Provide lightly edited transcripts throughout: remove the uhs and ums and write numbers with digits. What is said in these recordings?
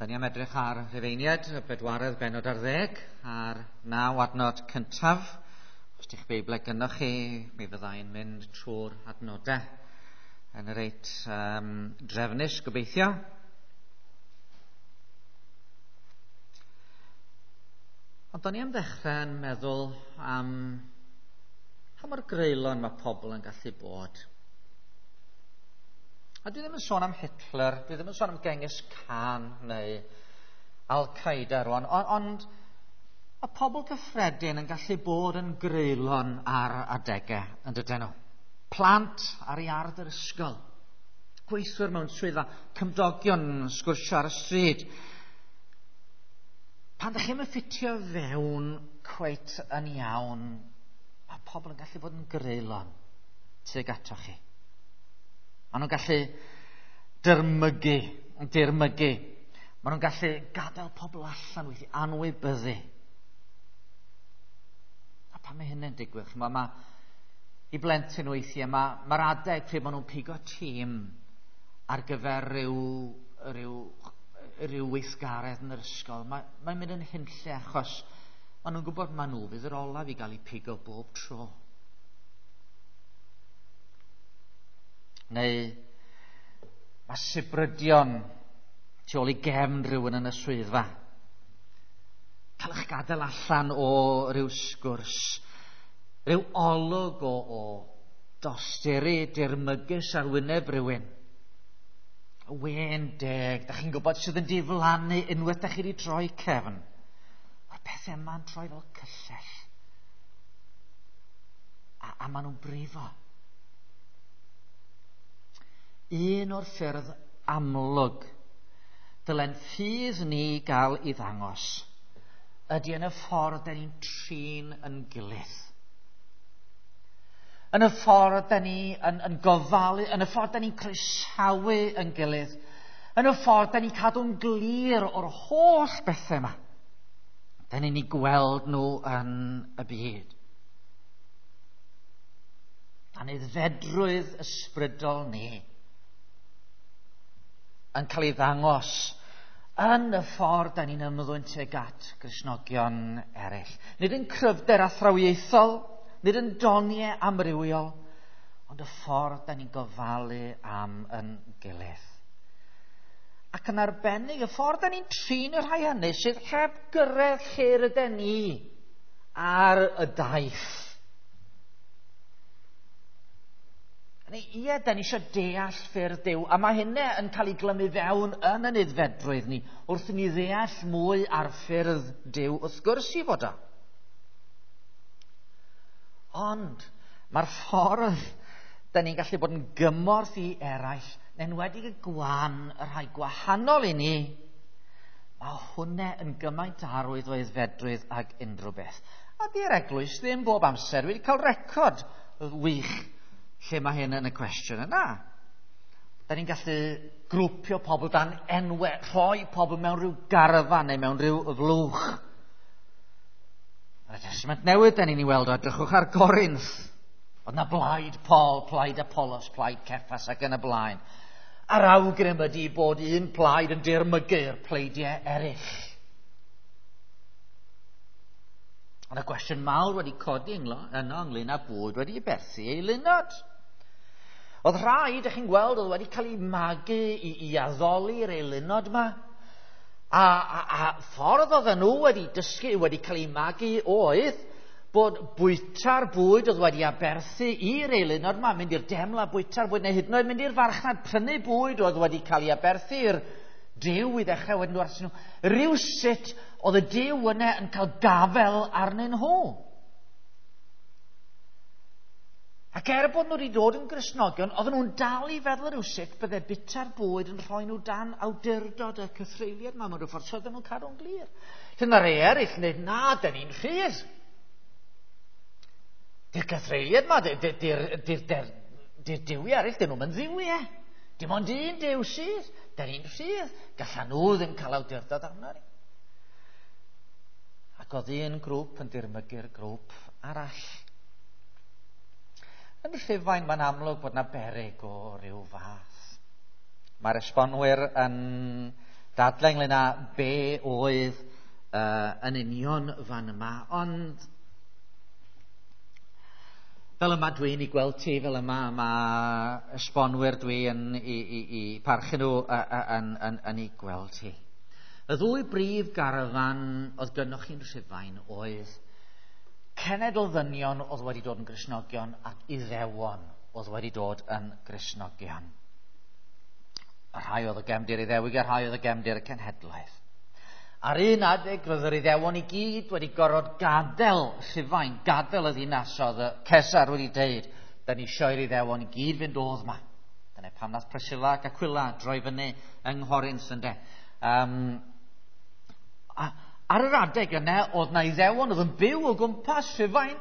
Da ni am edrych ar Rufeiniad, y bedwaredd bennod ar ddeg, a'r 9 adnod cyntaf. Os di'ch Beiblau gynnoch chi, mi fyddai'n mynd trwy'r adnodau yn reit drefnus, gobeithio. Ond da ni am ddechrau yn meddwl am pa mor greulon mae pobl yn gallu bod. A dwi ddim yn sôn am Hitler, dwi ddim yn sôn am Genghis Khan neu Al-Qaeda rwan, ond mae pobl gyffredin yn gallu bod yn greulon ar adegau, yn dydyn nhw. Plant ar iard yr ysgol, gweithwyr mewn swyddfa, cymdogion yn sgwrsio ar y stryd. Pan ydych chi'm yn ffitio fewn cweit yn iawn, mae pobl yn gallu bod yn greulon tuag atoch chi. Maen nhw'n gallu dirmygu. Maen nhw'n gallu gadael pobl allan weithiau, anwybyddu. A pan mae hynny'n digwydd, ch'mo', mae i blentyn weithiau, mae'r adeg pryd maen nhw'n pigo tîm ar gyfer rhyw weithgaredd yn yr ysgol, mae'n mynd yn hunlle achos maen nhw'n gwybod maen nhw fydd yr olaf i gael eu pigo bob tro. Neu mae sibrydion tu ôl i gefn rhywun yn y swyddfa. Cael eich gadael allan o ryw sgwrs, rhyw olwg o dosturi dirmygus ar wyneb rhywun. Wên deg, da chi'n gwybod sydd yn diflannu unwaith da chi wedi troi cefn. Mae'r pethau yma'n troi fel cyllell. A maen nhw'n brifo. Un o'r ffyrdd amlwg dylen ffydd ni gael ei ddangos ydy yn y ffordd da ni'n trin yn gilydd. Yn y ffordd da ni yn gofalu, yn y ffordd da ni'n croesawu yn gilydd, yn y ffordd da ni'n cadw'n glir o'r holl bethau yma. Da ni'n ei gweld nhw yn y byd. Aeddfedrwydd ysbrydol ni yn cael ei ddangos yn y ffordd da ni'n ymddwyn tuag at Gristnogion eraill. Nid yn cryfder athrawiaethol, nid yn doniau amrywiol, ond y ffordd da ni'n gofalu am yn gilydd. Ac yn arbennig, y ffordd da ni'n trin y rhai hynny sydd heb gyrraedd lle rydyn ni ar y daith. Ie, da ni eisiau deall ffyrdd Duw, a mae hynny yn cael ei glymu fewn yn ein aeddfedrwydd ni, wrth i ni ddeall mwy ar ffyrdd Duw, wrth gwrs i fod o. Ond mae'r ffordd da ni'n gallu bod yn gymorth i eraill, yn enwedig y gwan, y rhai gwahanol i ni, mae hwnna yn gymaint arwydd o aeddfedrwydd ag unrhyw beth. A di'r eglwys ddim bob amser wedi cael record wych lle mae hyn yn y cwestiwn yna. Da ni'n gallu grwpio pobl dan enwau, rhoi pobl mewn rhyw garfan neu mewn rhyw flwch. Yn y Testament Newydd, da ni'n ei weld o, edrychwch ar Gorinth. Oedd na blaid Paul, plaid Apollos, plaid Cephas ac yn y blaen. A'r awgrym ydy bod un plaid yn dirmygu'r pleidiau eraill. Ond y cwestiwn mawr wedi codi yno ynglyn â bwyd wedi berthu ei lunod. Oedd rhai, dych chi'n gweld, oedd wedi cael eu magu i addoli'r eilunod yma. A ffordd oedden nhw wedi dysgu, wedi cael eu magu oedd bod bwyta'r bwyd oedd wedi aberthu i'r eilunod yma, mynd i'r deml a bwyta'r bwyd, neu hyd yn oed mynd i'r farchnad prynu bwyd oedd wedi cael ei aberthu i'r Duw i ddechrau wedyn nhw nhw. Rywsut oedd y Duw yna yn cael gafel arnyn nhw. Ac er bod nhw wedi dod yn Gristnogion, oedden nhw'n dal i feddwl rywsut bydde bwyta'r bwyd yn rhoi nhw dan awdurdod y cythreuliad yma mewn rhyw ffordd, so oedden nhw'n cadw'n glir. Lle mae rhai eraill yn dweud, na, dyn ni'n rhydd. Di'r cythreuliad yma, di'r duwiau eraill, dyn nhw'n dduwiau. Dim ond un Duw sydd, dyn ni'n rhydd. Gallan nhw ddim cael awdurdod arno ni. Ac oedd un grŵp yn dirmygu'r grŵp arall. Yn Rhufain, mae'n amlwg bod na beryg o ryw fath. Mae'r esbonwyr yn dadlau ynglyn â be oedd yn union fan yma, ond fel yma dwi'n ei gweld ti, fel yma mae esbonwyr dwi yn i parchu nhw yn ei gweld ti. Y ddwy brif garafan oedd gynnoch chi'n Rhufain oedd cenedl ddynion oedd wedi dod yn Gristnogion ac Iddewon oedd wedi dod yn Gristnogion. Y rhai oedd y gefndir Iddewig a rhai oedd y gefndir y cenhedlaeth. Ar un adeg roedd yr Iddewon i gyd wedi gorfod gadael Rhufain, gadael y ddinas oedd y Cesar wedi deud, da ni eisiau i'r Iddewon i gyd fynd o'dd ma. Dyna pam nath Priscilla ac Aquila droi fyny yng Nghorinth ynde. Ar yr adeg yna, oedd na Iddewon oedd yn byw o gwmpas Rhufain,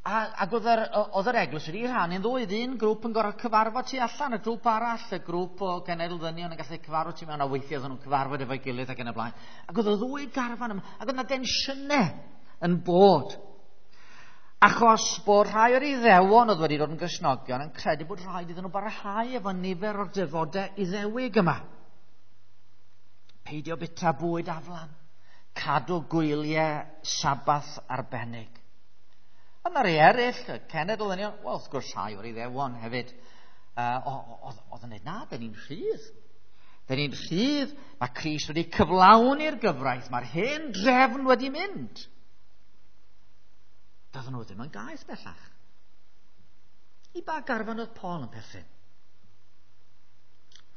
ac oedd yr eglwys wedi rhannu'n ddwy. Un grŵp yn gorfod cyfarfod tu allan, y grŵp arall, y grŵp o genedl ddynion yn gallu cyfarfod tu mewn, a weithiau oedden nhw'n cyfarfod efo'i gilydd ac yn y blaen. Ac oedd y ddwy garfan yma, ac oedd yna densiynau yn bod. Achos bod rhai o'r Iddewon oedd wedi dod yn Gristnogion yn credu bod rhaid iddyn nhw barhau efo nifer o'r defodau Iddewig yma. Peidio bita bwyd aflan, cadw gwyliau Sabath arbennig. Ond na rei eraill, y cenedl yn wel, wrth gwrs rhai o'r Iddewon hefyd, oedd yn dweud, na, dyn ni'n rhydd. Dyn ni'n rhydd, mae Crist wedi cyflawni'r gyfraith, mae'r hen drefn wedi mynd. Doedden nhw ddim yn gaeth bellach. I ba garfan oedd Paul yn perthyn?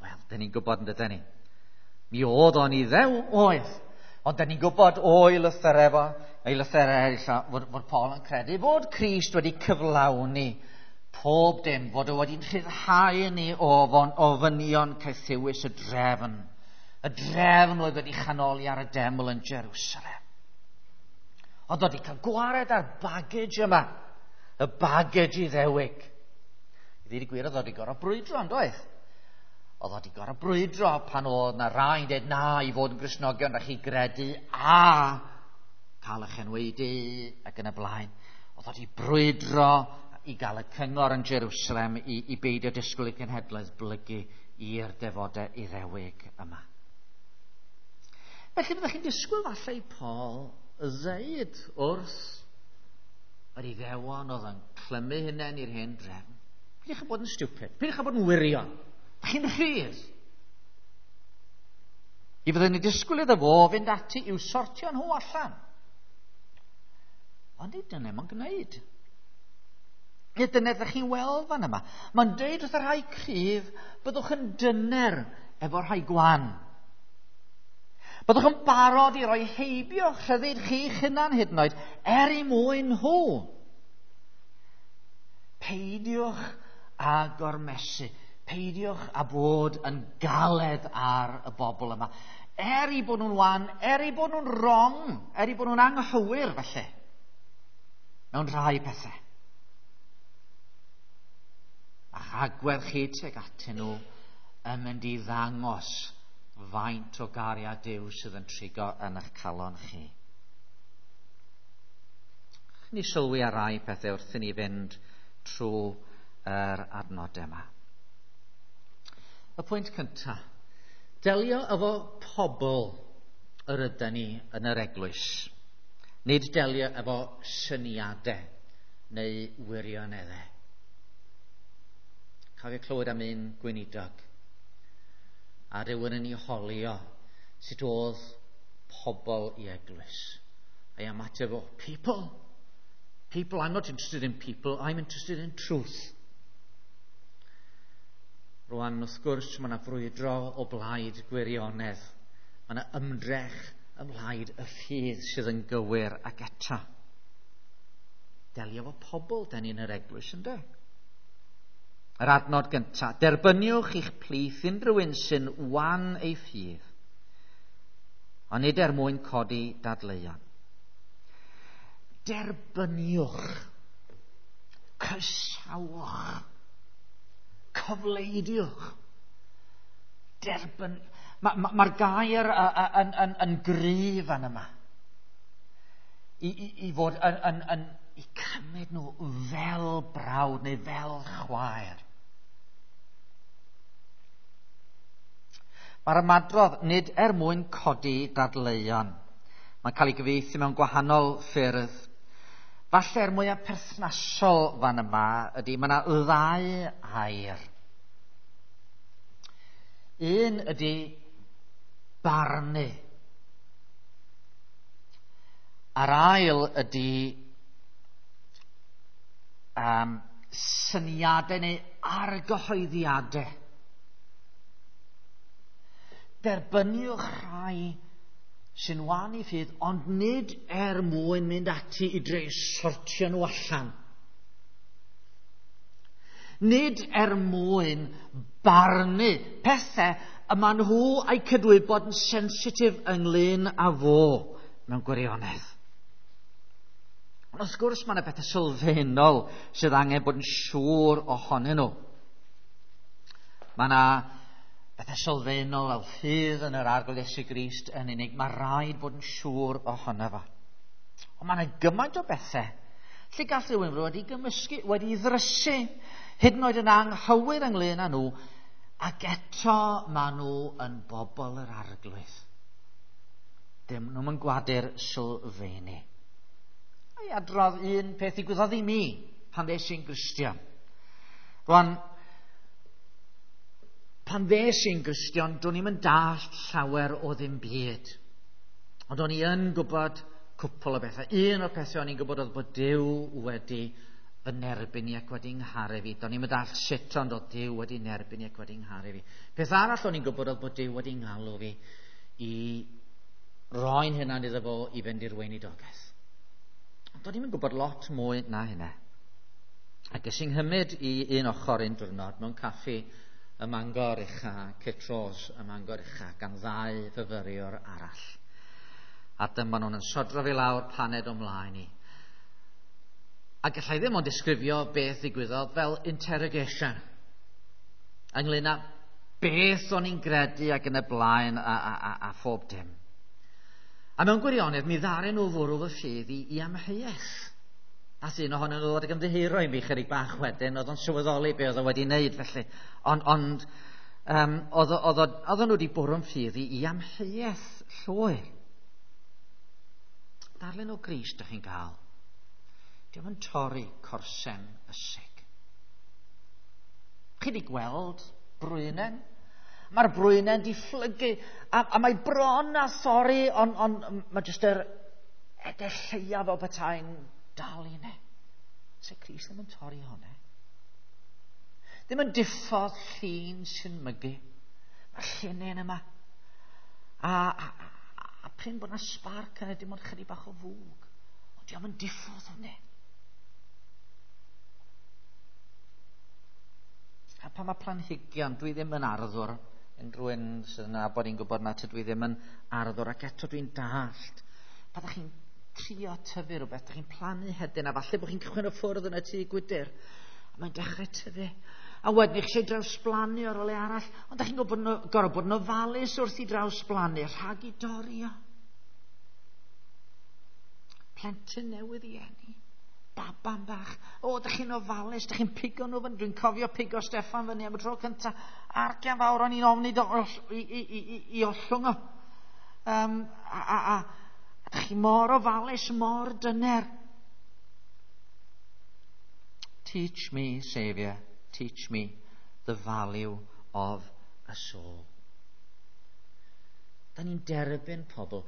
Wel, dyn ni'n gwybod yn dydyn ni. Mi oedd o'n Iddew, oedd. Ond dyn ni'n gwybod o'i lythyrau fo, ei lythyrau eraill, fod Paul yn credu fod Crist wedi cyflawni pob dim, fod o wedi'n rhyddhau ni o ofynion caethiwus y drefn. Y drefn oedd wedi chanoli ar y deml yn Jerusalem. Ond oedd wedi cael gwared ar baggage yma, y baggage Iddewig. I ddweud y gwir, oedd wedi gorfod brwydro, yn doedd? Oedd wedi gorfod brwydro pan oedd na rai'n dweud na i fod yn Gristnogion, rhaid chi gredu a cael eich enwaedu ac yn y blaen. Oedd wedi brwydro i gael y cyngor yn Jerusalem i beidio disgwyl i cenhedlaeth blygu i'r defodau Iddewig yma. Felly byddech chi'n disgwyl falle i Paul ddeud wrth yr Iddewon oedd yn clymu hunain i'r hen drefn, peidiwch â bod yn stupid, peidiwch â bod yn wirion, chi'n rhydd. I fydden ni disgwyl iddo fo fynd ati i'w sortio nhw allan. Ond nid dyna mae'n gwneud. Nid dyna ydych chi'n weld fan yma. Mae'n deud wrth y rhai cryf, byddwch yn dyner efo'r rhai gwan. Byddwch yn barod i roi heibio rhyddid chi'ch hunan hyd yn oed, er i mwyn nhw. Peidiwch â gormesu. Peidiwch â bod yn galed ar y bobl yma. Er i bod nhw'n wan, er i bod nhw'n wrong, er i bod nhw'n anghywir falle, mewn rhai pethau. A'ch agwedd chi tuag atyn nhw yn mynd i ddangos faint o gariad Duw sydd yn trigo yn eich calon chi. Ni sylwi ar rai pethau wrth i ni fynd trwy yr adnodau yma. Y pwynt cyntaf, delio efo pobl yr ydyn ni yn yr eglwys. Nid delio efo syniadau neu wirioneddau. Cofio clywed am un gweinidog a rhywun yn ei holio sut oedd pobl i eglwys. A'i ymateb o, people, people, I'm not interested in people, I'm interested in truth. Rwan, wrth gwrs, mae yna frwydro o blaid gwirionedd. Mae yna ymdrech ymlaid y ffydd sydd yn gywir ac eto. Delio efo pobl, da ni yn yr eglwys, ynddo? Yr adnod gyntaf, derbyniwch i'ch plith unrhyw un sy'n wan ei ffydd, ond nid er mwyn codi dadleuon. Derbyniwch, cysawch, cyfleidiwch. Derbyn. Mae'r gair yn gryf fan yma. I fod yn i cymryd nhw fel brawd neu fel chwaer. Mae'r ymadrodd nid er mwyn codi dadleuon. Mae'n cael ei gyfieithu mewn gwahanol ffyrdd. Falle'r mwyaf perthnasol fan yma ydy mae yna ddau air. Un ydy barnu. A'r ail ydy syniadau neu argyhoeddiadau. Derbyniwch rhai sy'n wan i ffydd, ond nid er mwyn mynd ati i dreu sortio nhw allan. Nid er mwyn barnu pethau y maen nhw a'i cydwybod yn sensitif ynglyn â fo mewn gwirionedd. Ond wrth gwrs mae yna bethau sylfaenol sydd angen bod yn siŵr ohonyn nhw. Mae yna bethau sylfaenol fel ffydd yn yr Arglwydd Iesu Grist yn unig. Mae rhaid bod yn siŵr ohono fo. Ond mae yna gymaint o bethau lle gall rhywun fod wedi gymysgu, wedi ddrysu, hyd yn oed yn anghywir ynglyn â nhw, ac eto maen nhw yn bobl yr Arglwydd. Dim nhw'n gwadu'r sylfaeni. A i adrodd un peth ddigwyddodd i mi pan ddes i'n Gristion. Rwan, pan ddes i'n Gristion, do'n i'm yn dallt llawer o ddim byd. Ond o'n i yn gwybod cwpl o bethau. Un o'r pethau o'n i'n gwybod oedd bod Duw wedi fy nerbyn i ac wedi ngharu fi. Do'n i'm yn dallt sut ond oedd Duw wedi nerbyn i ac wedi ngharu fi. Peth arall o'n i'n gwybod oedd bod Duw wedi ngalw fi i roi'n hunan iddo fo i fynd i'r weinidogaeth. Ond do'n i'm yn gwybod lot mwy na hynna. Ac es i'n nghymryd i un ochr un diwrnod mewn caffi ym Mangor Ucha, Citrose ym Mangor Ucha, gan ddau fyfyriwr arall. A dyma nhw'n yn sodro fi lawr paned o mlaen i. A gallai ddim ond disgrifio beth ddigwyddodd fel interrogation. Ynglyn â beth o'n i'n gredu ac yn y blaen a phob dim. A mewn gwirionedd, mi ddaru nhw fwrw fy ffydd i amheuaeth. Nath un ohonyn nhw ddod ag ymddiheuro i mi chydig bach wedyn, oedd o'n sylweddoli be oedd o wedi wneud felly. Ond oedd nhw wedi bwrw'n ffydd i amheuaeth llwyr. Darlun o Grist ydych chi'n cael. Dio'm yn torri corsen ysig. Chi wedi gweld brwynen? Mae'r brwynen di phlygu, a mae bron a thorri, ond mae jyst yr edell lleiaf o betai'n dal i ne. Se Crist ddim yn torri hwnna. Ddim yn diffodd llun sy'n mygu. Mae'r llinyn yma. A prin bod yna sbarc yna, dim ond chydig bach o fwg. Ond dio'm yn diffodd hwnna. A pan mae planhigion, dwi ddim yn arddwr, unrhyw un sydd yn nabod i'n gwybod na tydw i ddim yn arddwr, ac eto dwi'n dallt. Pan ydych chi'n trio tyfu rhywbeth, ydych chi'n plannu hedyn, a falle bod chi'n cychwyn o ffwrdd yn y tŷ gwydr, a mae'n dechrau tyfu. A wedyn chi eisiau drawsblannu ar ôl arall, ond ydych chi'n gorfod bod yn ofalus wrth i drawsblannu, rhag i dorri o. Plentyn newydd i eni. Baban bach. O, ydych chi'n ofalus, ydych chi'n pigo nhw fyny. Dwi'n cofio pigo Steffan fyny am y tro cyntaf. Argian fawr o'n i'n ofni i ollwng o. A ydych chi mor ofalus, mor dyner. Teach me, Saviour, teach me the value of a soul. Da ni'n derbyn pobl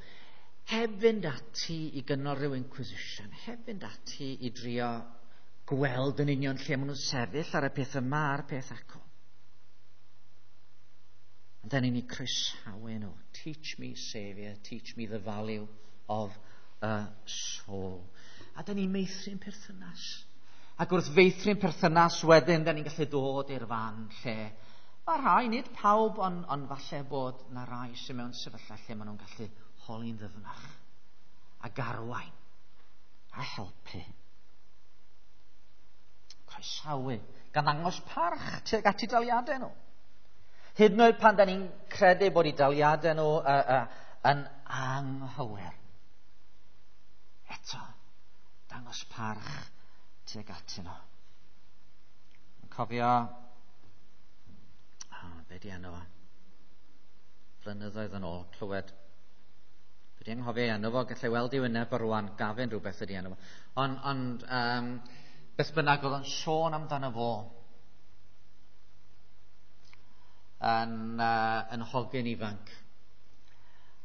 heb fynd ati i gynnal rhyw inquisition, heb fynd ati i drio gweld yn union lle maen nhw'n sefyll ar y peth yma a'r peth acw. Ond da ni'n eu croesawu nhw. Teach me, Saviour, teach me the value of a soul. A da ni'n meithrin perthynas. Ac wrth feithrin perthynas wedyn, da ni'n gallu dod i'r fan lle mae rhai, nid pawb, ond falle bod na rai sy'n mewn sefyllfa lle maen nhw'n gallu holi'n ddyfnach a garwain a helpu. Croesawu, gan ddangos parch tuag at eu daliadau nhw. Hyd yn oed pan da ni'n credu bod eu daliadau nhw yn anghywir. Eto, dangos parch tuag atyn nhw. Yn cofio, be di enw fo? Blynyddoedd yn ôl, clywed. Dwi wedi anghofio ei enw fo, gallai weld ei wyneb o rwan, Gafin rhywbeth ydi enw fo. Ond beth bynnag oedd o'n sôn amdano fo yn hogyn ifanc.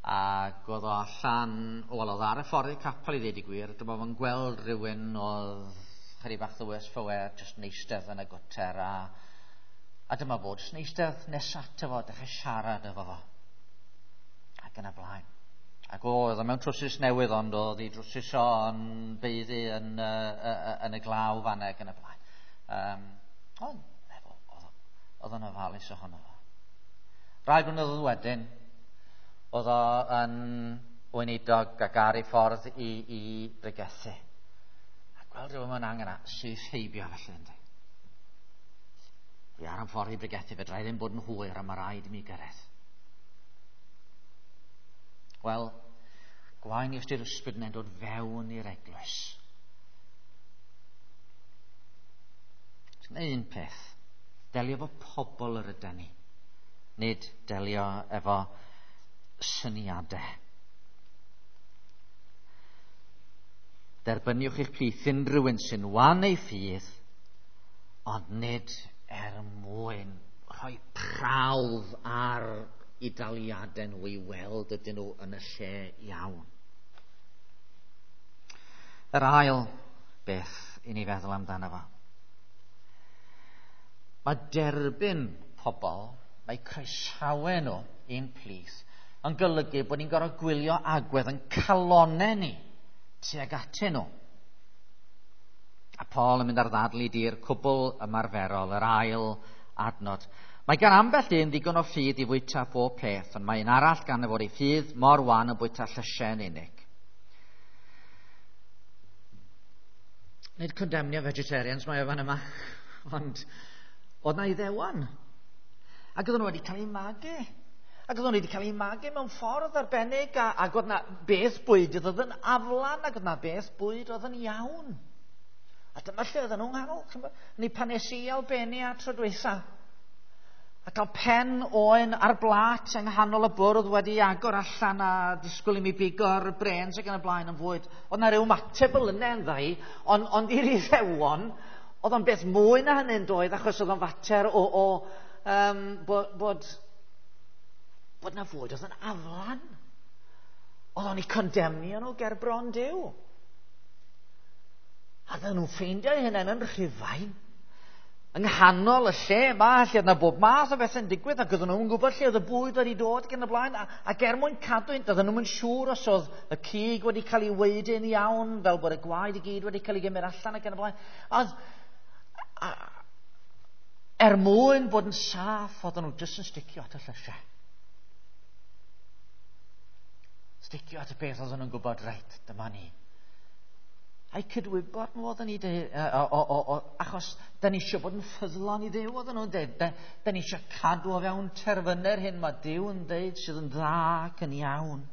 Ac oedd o allan, wel oedd ar y ffordd i'r capel i ddweud y gwir, dyma fo'n gweld rhywun oedd chydig bach the worse for wear, just yn eistedd yn y gwter, a dyma fo, just yn eistedd nes ato fo, dechrau siarad efo fo. Ac yn y blaen. Ac oedd o mewn trwsus newydd, ond oedd ei drwsus o'n beiddi yn y glaw fanna ac yn y blaen. Ond oedd o'n ofalus ohono fo. Rai blynyddoedd wedyn, oedd o yn weinidog ac ar ei ffordd i bregethu. A gweld rhywun mewn angen a syth heibio felly, ynddi. Dwi ar y ffordd i bregethu, fedra i ddim bod yn hwyr a mae rhaid i mi gyrraedd. Wel, gwaen i ystyr ysbryd yna'n dod fewn i'r eglwys. Sy'n un peth, delio efo pobl yr ydan ni, nid delio efo syniadau. Derbyniwch eich plith unrhyw un sy'n wan ei ffydd, ond nid er mwyn rhoi prawf ar i daliadau nhw i weld ydyn nhw yn y lle iawn. Yr ail beth i ni feddwl amdano fo. Mae derbyn pobl, mae croesawu nhw i'n plith, yn golygu bod ni'n gorfod gwylio agwedd yn calonnau ni tuag atyn nhw. A Paul yn mynd ar ddadl i dir cwbl ymarferol, yr ail adnod. Mae gan ambell un ddigon o ffydd i fwyta pob peth, ond mae un arall gan fod ei ffydd mor wan yn bwyta llysiau yn unig. Nid condemnio vegetarians mae o fan yma, ond oedd na Iddewon. Ac oedden nhw wedi cael eu magu. Ac oedden nhw wedi cael eu magu mewn ffordd arbennig, ac oedd na beth bwyd oedd yn aflan, ac oedd na beth bwyd oedd yn iawn. A dyma lle oedden nhw'n nghanol. Ni pan es i Albania tro dwytha, a cael pen oen ar blat yng nghanol y bwrdd wedi agor allan a disgwyl i mi bigo'r brêns ac yn y blaen yn fwyd. Oedd na ryw ymateb fel yna yn ddau, ond i'r Iddewon, oedd o'n beth mwy na hynny'n doedd, achos oedd o'n fater bod na fwyd oedd yn aflan. Oedd o'n eu condemnio nhw ger bron Duw. A oedden nhw'n ffeindio eu hunain yn Rhufain, yng nghanol y lle yma, lle oedd yna bob math o bethau'n digwydd, ac oedden nhw'n gwybod lle oedd y bwyd wedi dod ac yn y blaen, ac er mwyn cadw, oedden nhw'n siŵr os oedd y cig wedi cael ei waedu'n iawn, fel bod y gwaed i gyd wedi cael ei gymryd allan ac yn y blaen. Er mwyn bod yn saff, oedden nhw jyst yn sticio at y llysiau. Sticio at y beth oedden nhw'n gwybod, reit, dyma ni. A'i cydwybod nhw oedden ni dweud, achos da ni eisiau bod yn ffyddlon i Dduw, oedden nhw'n dweud, da ni eisiau cadw o fewn terfynau'r hyn mae Duw yn dweud sydd yn dda ac yn iawn.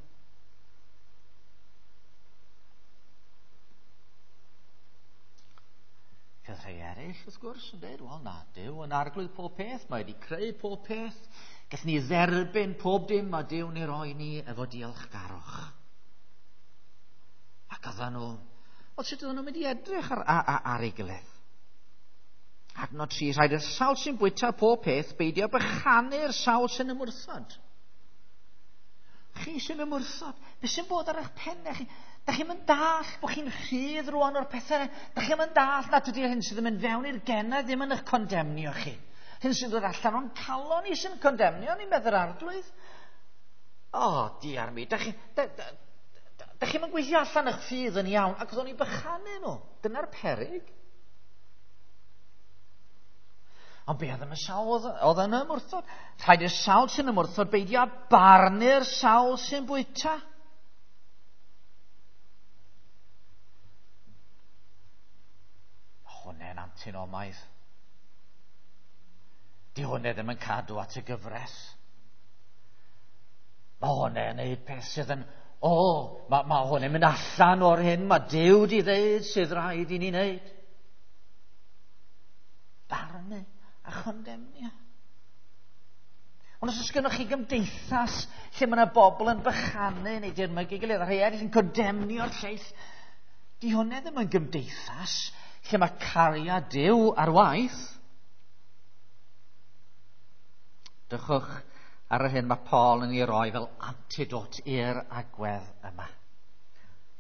Bydd rhai eraill, wrth gwrs, yn dweud, wel na, Duw yn arglwydd pob peth, mae wedi creu pob peth, gallwn ni dderbyn pob dim mae Duw'n ei roi ni efo diolchgarwch. Ac oedden nhw, wel, sut oedden nhw'n mynd i edrych ar ei gilydd? Adnod 3, rhaid i'r sawl sy'n bwyta pob peth beidio bychanu'r sawl sy'n ymwrthod. Chi sy'n ymwrthod, beth sy'n bod ar eich pennau chi? Da chi'n mynd dall bod chi'n rhydd rwan o'r pethau. Da chi'n mynd dall nad ydy'r hyn sydd yn mynd fewn i'r genau ddim yn eich condemnio chi. Hyn sy'n dod allan o'n calon ni sy'n condemnio ni, meddwl arglwydd. O, diar mi, da chi'n mynd gweithio allan eich ffydd yn iawn, ac oeddwn i'n bychanu nhw. Dyna'r peryg. Ond be oedd yn y sawl oedd yn ymwrthod? Rhaid i'r sawl sy'n ymwrthod beidio â barnu'r sawl sy'n bwyta. Hwnna'n antinomaidd. Di hwnna ddim yn cadw at y gyfres. Mae hwnna'n neud peth sydd yn, mae hwnna'n mynd allan o'r hyn mae Duw di ddeud sydd rhaid i ni wneud. Barnu a chondemnio. Ond os oes gennych chi gymdeithas lle mae yna bobl yn bychanu neu dirmygu gilydd, a rhai eraill yn condemnio'r lleill, di hwnna ddim yn gymdeithas lle mae cariad Duw ar waith. Dychwch ar yr hyn mae Paul yn ei roi fel antidote i'r agwedd yma.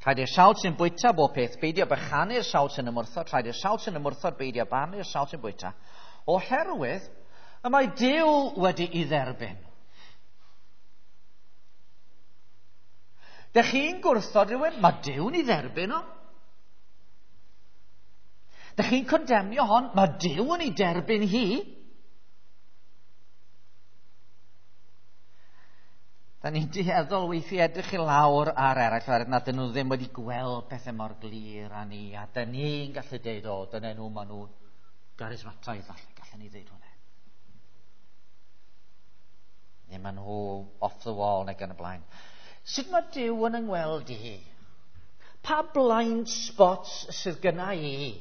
Rhaid i'r sawl sy'n bwyta bob peth beidio bychanu'r sawl sy'n ymwrthod, rhaid i'r sawl sy'n ymwrthod beidio barnu'r sawl sy'n bwyta, oherwydd y mae Duw wedi'i dderbyn. Dych chi'n gwrthod rhywun, mae Duw'n ei dderbyn o. Dych chi'n condemnio hon, mae Duw yn ei derbyn hi. Da ni'n dueddol weithiau edrych i lawr ar eraill oherwydd nad ydyn nhw ddim wedi gweld pethau mor glir â ni, a da ni'n gallu deud, o, dyna nhw, maen nhw'n garismataidd falle, gallen ni ddeud hwnna. Neu maen nhw off the wall neu gan y blaen. Sut mae Duw yn yngweld i? Pa blind spots sydd gyna i?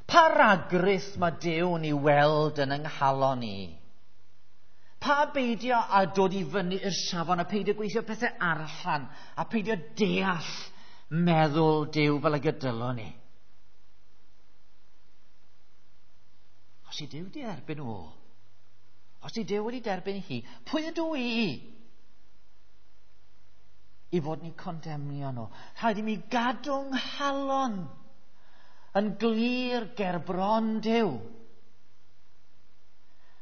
Pa ragrith mae Duw'n ei weld yn ynghalon i? Pa beidio a dod i fyny i'r safon a peidio gweithio pethau allan a peidio deall meddwl Duw fel y gydylon ni? Os i Duw di erbyn o, os i Duw wedi derbyn hi, pwy ydw i i fod ni condemnio nhw? Rhaid i mi gadw nghalon yn glir ger bron Duw.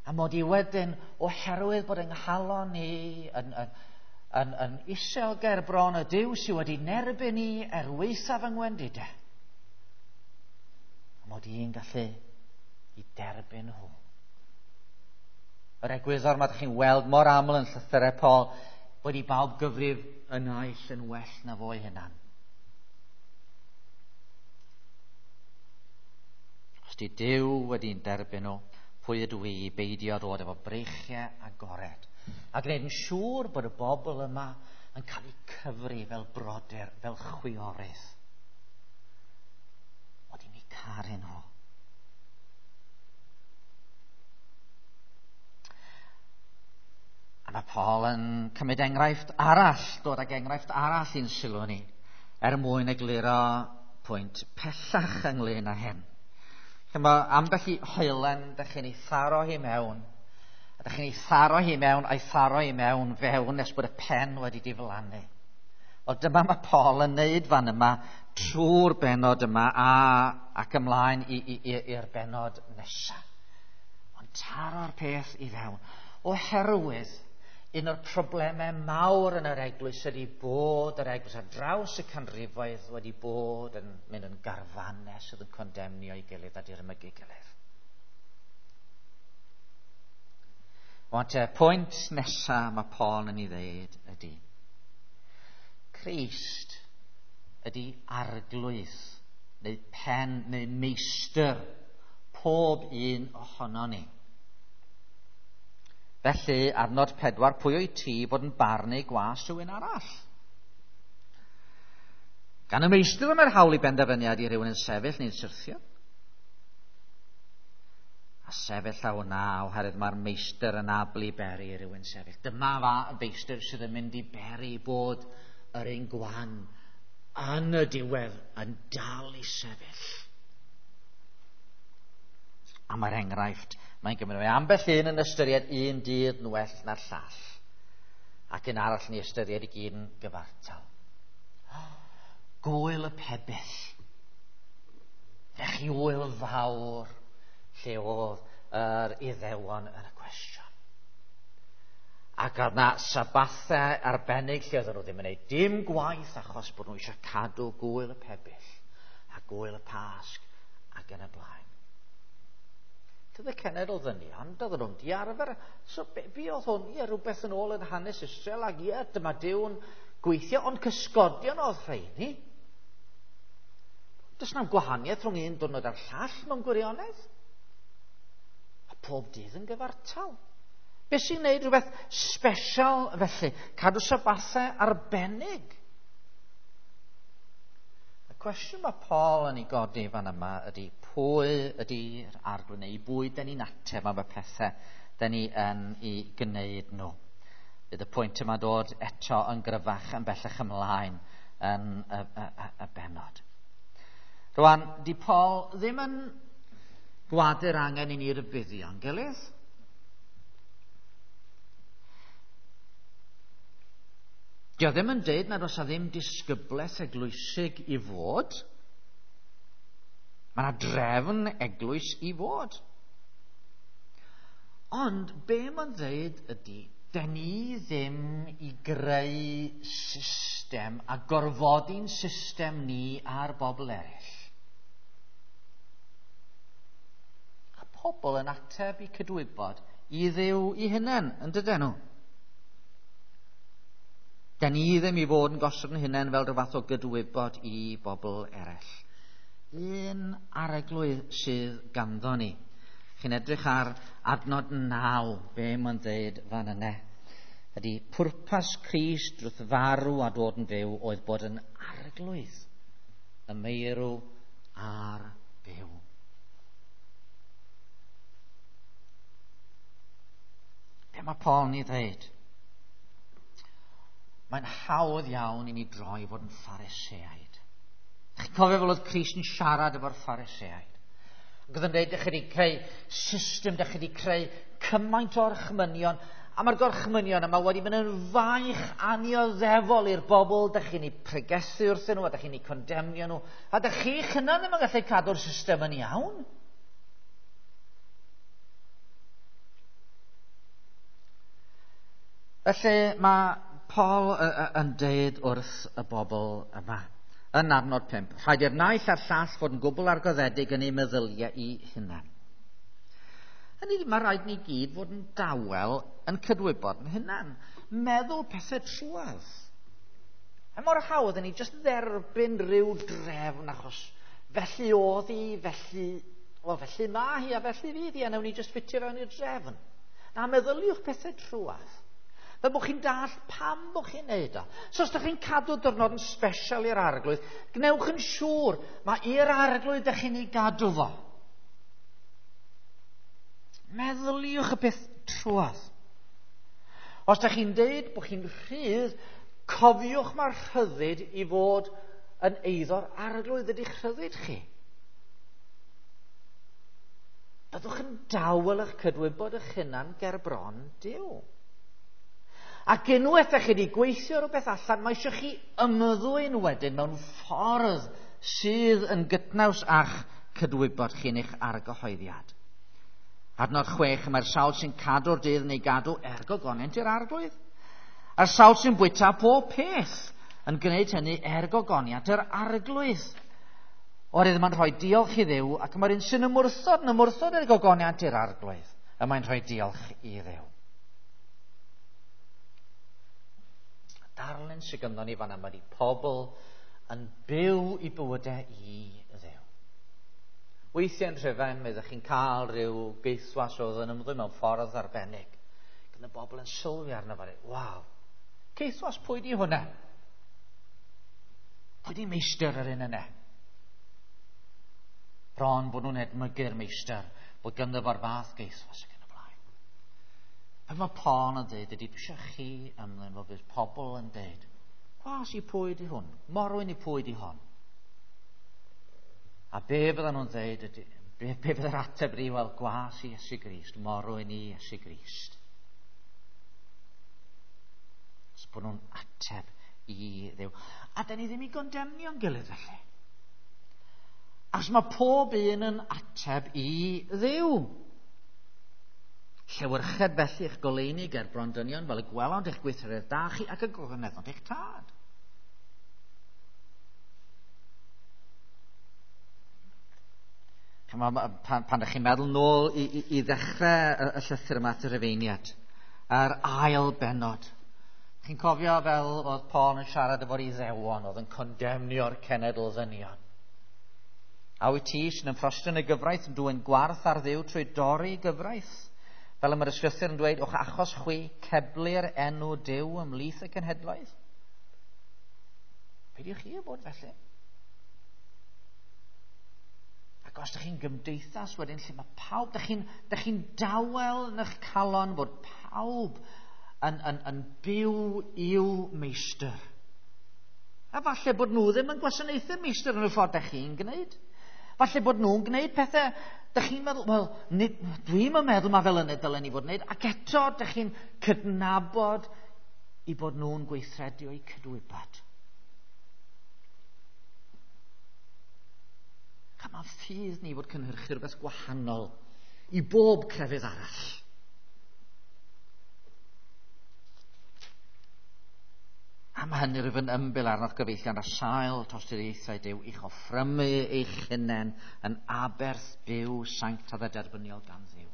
A mod i wedyn, oherwydd bod yng nghalon i yn isel ger bron y Duw sydd wedi nerbyn i er waethaf yng ngwendidau, a mod i'n gallu i derbyn nhw. Yr egwyddor mae ydych chi'n weld mor aml yn llythyrau Paul, bod i bawb gyfrif y naill yn well na fo'i hunan. Os di Duw wedi'n derbyn nhw, pwy ydw i i beidio dod efo breichiau agored a gwneud yn siŵr bod y bobl yma yn cael eu cyfri fel brodyr, fel chwiorydd. Mod i'n eu caru nhw. A mae Paul yn cymryd enghraifft arall, dod ag enghraifft arall i'n sylw ni, er mwyn egluro pwynt pellach ynglyn â hyn. Mae ambell i hoelen, dych chi'n ei tharo hi mewn, a dych chi'n ei tharo hi mewn, a'i tharo hi mewn fewn nes bod y pen wedi diflannu. Wel, dyma mae Paul yn neud fan yma trwy'r benod yma ac ymlaen i'r benod nesaf. Ond taro'r peth i fewn. Oherwydd un o'r problemau mawr yn yr eglwys ydy bod yr eglwys ar draws y canrifoedd wedi bod yn mynd yn garfannau sydd yn condemnio ei gilydd a dirmygu gilydd. Ond te, pwynt nesaf mae Paul yn ei ddeud ydy Crist ydy arglwydd neu pen neu meistr pob un ohono ni. Felly, adnod 4, pwy o'i ti fod yn barnu gwas rhywun arall? Gan y meistr mae'r hawl i benderfyniad i rhywun yn sefyll neu'n syrthio. A sefyll a hwnna, oherwydd mae'r meistr yn abl i beri i rhywun sefyll. Dyma fa y meistr sydd yn mynd i beri bod yr un gwan yn y diwedd yn dal i sefyll. A mae'r enghraifft, mae'n gymryd. Mae ambell un yn ystyried un dydd yn well na'r llall, ac un arall yn ei ystyried i gyd yn gyfartal. Gwyl y pebyll. Fech chi wyl fawr lle oedd yr Iddewon yn y cwestiwn. Ac oedd na sabathau arbennig lle oedden nhw ddim yn gwneud dim gwaith achos bod nhw eisiau cadw gwyl y pebyll a gwyl y Pasg ac yn y blaen. Doedd y cenedl ddynion, doedden nhw'n diarfer. So, be oedd hwn? Ie, rhywbeth yn ôl yn hanes Israel, ac ie, dyma Duw'n gweithio, ond cysgodion oedd rheini. Does na'm gwahaniaeth rhwng un diwrnod a'r llall mewn gwirionedd. A pob dydd yn gyfartal. Be sy'n gwneud rhywbeth special felly? Cadw sabathau arbennig. Y cwestiwn mae Paul yn ei godi fan yma ydy pwy ydy'r arglwydd neu bwy dyn ni'n ateb am y pethau da ni yn ei gwneud nhw. Bydd y pwynt yma dod eto yn gryfach yn bellach ymlaen yn y bennod. Rwan, di Paul ddim yn gwadu'r angen i ni rybuddio'n gilydd. Di o ddim yn deud nad oes ddim disgyblaeth eglwysig i fod. Mae yna drefn eglwys i fod. Ond be mae'n dweud ydy, den ni ddim i greu system a gorfodi'n system ni ar bobl eraill. A pobl yn ateb i cydwybod i Dduw i hunain, yn dydyn nhw? Den ni ddim i fod yn gosod yn hunain fel rhyw fath o gydwybod i bobl eraill. Un arglwydd sydd ganddo ni. Chi'n edrych ar adnod 9, be mae'n dweud fan yna. Ydy pwrpas Crist wrth farw a dod yn fyw oedd bod yn arglwydd y meirw a'r byw. Be mae Paul yn ei ddweud? Mae'n hawdd iawn i ni droi fod yn Phariseaid. Chi'n cofio fel oedd Crist yn siarad efo'r Phariseaid? Ac oedd yn dweud, dych chi wedi creu system, dych chi wedi creu cymaint o orchmynion, a mae'r gorchmynion yma wedi mynd yn faich anioddefol i'r bobl, dych chi'n ei pregethu wrthyn nhw, a dych chi'n ei condemnio nhw, a dych chi'ch hunan ddim yn gallu cadw'r system yn iawn. Felly mae Paul yn deud wrth y bobl yma, yn adnod 5, rhaid i'r naill a'r llall fod yn gwbl argoddedig yn ei meddyliau i hunan. Hynny, mae rhaid ni gyd fod yn dawel yn cydwybod yn hunan. Meddwl pethau trwadd. A mor hawdd yn ni jyst dderbyn rhyw drefn achos felly oedd hi, felly, well, felly mae hi a felly fydd hi, a nawn ni jyst ffitio fewn i'r drefn. Na, meddyliwch pethau trwadd. Fel bod chi'n dall pam bod chi'n neud o. So os ydych chi'n cadw diwrnod yn special i'r arglwydd, gwnewch yn siŵr mae i'r arglwydd ydych chi'n ei gadw fo. Meddyliwch y peth trwadd. Os ydych chi'n deud bod chi'n rhydd, cofiwch mae'r rhyddid i fod yn eiddo'r arglwydd ydy'ch rhyddid chi. Byddwch yn dawel eich cydwybod eich hunan ger bron Duw. Ac unwaith ydych chi wedi gweithio rhywbeth allan, mae eisiau chi ymddwyn wedyn mewn ffordd sydd yn gydnaws â'ch cydwybod chi yn eich argyhoeddiad. Adnod 6, mae'r sawl sy'n cadw'r dydd neu gadw er gogoniant i'r arglwydd. A'r sawl sy'n bwyta pob peth yn gwneud hynny er gogoniant yr arglwydd. Oherwydd mae'n rhoi diolch i Dduw, ac mae'r un sy'n ymwrthod yn ymwrthod er gogoniant i'r arglwydd, y mae'n rhoi diolch i Dduw. Darlun sydd ganddo ni fan yma ydy pobl yn byw i bywydau i Dduw. Weithiau yn Rhyfan, mi ydych chi'n cael rhyw geithwas oedd yn ymddwyn mewn ffordd arbennig. Gan y bobl yn sylwi arno fo, waw, geithwas pwy di hwnna? Pwy di meistr yr un yna? Bron bod nhw'n edmygu'r meistr, bod ganddo fo'r fath geithwas ac yn y blaen. Be mae Paul yn dweud ydy, dwi eisiau chi ymlaen fel bydd pobl yn dweud, gwas i pwy di hwn, morwyn i pwy di hon. A be fyddan nhw'n dweud ydy, be fydda'r ateb ydy, wel, gwas i Iesu Grist, morwyn i Iesu Grist. So bod nhw'n ateb i Dduw. A da ni ddim i gondemnio'n gilydd felly. Achos mae pob un yn ateb i Dduw. Llewyrched felly eich goleuni ger bron dynion fel y gwelont eich gweithredoedd da chi ac y gogoneddont eich tad. Pan ydych chi'n meddwl nôl i ddechrau y llythyr yma at y Rufeiniad, a'r ail bennod, chi'n cofio fel oedd Paul yn siarad efo'r Iddewon oedd yn condemnio'r cenedl ddynion. A wyt ti sy'n ymffrostio yn y gyfraith yn dwyn gwarth ar Dduw trwy dorri gyfraith? Fel y mae'r ysgrythur yn dweud, o'ch achos chwi ceblu'r enw Duw ymhlith y cenhedloedd? Peidiwch chi â bod felly. Ac Ac os ydych chi'n gymdeithas wedyn lle mae pawb, dych chi'n dawel yn eich calon bod pawb yn byw i'w meistr. A falle bod nhw ddim yn gwasanaethu meistr yn y ffordd dych chi'n gwneud. Falle bod nhw'n gwneud pethau, dych chi'n meddwl, wel, dwi'm yn meddwl mae fel yna dylen ni fod yn gwneud, ac eto dych chi'n cydnabod i bod nhw'n gweithredu o'u cydwybod. A mae'n ffydd ni fod cynhyrchu rhywbeth gwahanol i bob crefydd arall. A mae hynny rwyf yn ymbil arnoch gyfeillion ar sail tosturiaethau Duw i'ch offrymu eich hunain yn aberth byw sanctaidd a derbyniol gan Dduw.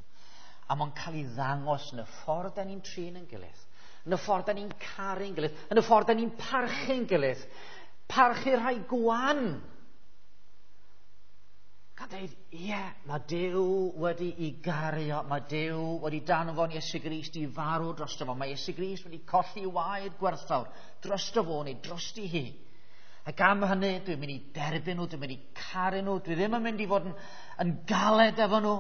A mae'n cael ei ddangos yn y ffordd da ni'n trin yn gilydd, yn y ffordd da ni'n caru'n gilydd, yn y ffordd da ni'n parchu'n gilydd, parchu rhai gwan. Gan dweud, ie, mae Duw wedi i gario, mae Duw wedi danfon Iesu Grist i farw drosto fo. Mae Iesu Grist wedi colli waed gwerthfawr drosto fo neu drosti hi. Ac am hynny, dwi'n mynd i derbyn nhw, dwi'n mynd i caru nhw, dwi ddim yn mynd i fod yn galed efo nhw.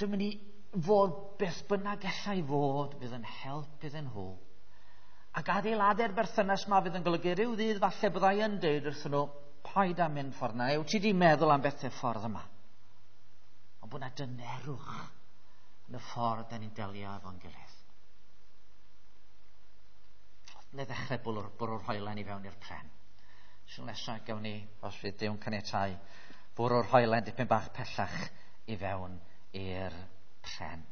Dwi'n mynd i fod beth bynnag allai fod fydd yn help iddyn nhw. Ac adeiladu'r berthynas ma fydd yn golygu rhyw ddydd falle byddai yn dweud wrthyn nhw, paid â mynd ffordd yna, wyt ti di meddwl am bethau ffordd yma. Ond bod yna dynerwch yn y ffordd da ni'n delio efo'n gilydd. Neu ddechrau bwrw'r hoelen i fewn i'r pren. Sy'n nesaf gawn ni, os fydd Duw'n caniatáu, bwrw'r hoelen dipyn bach pellach i fewn i'r pren.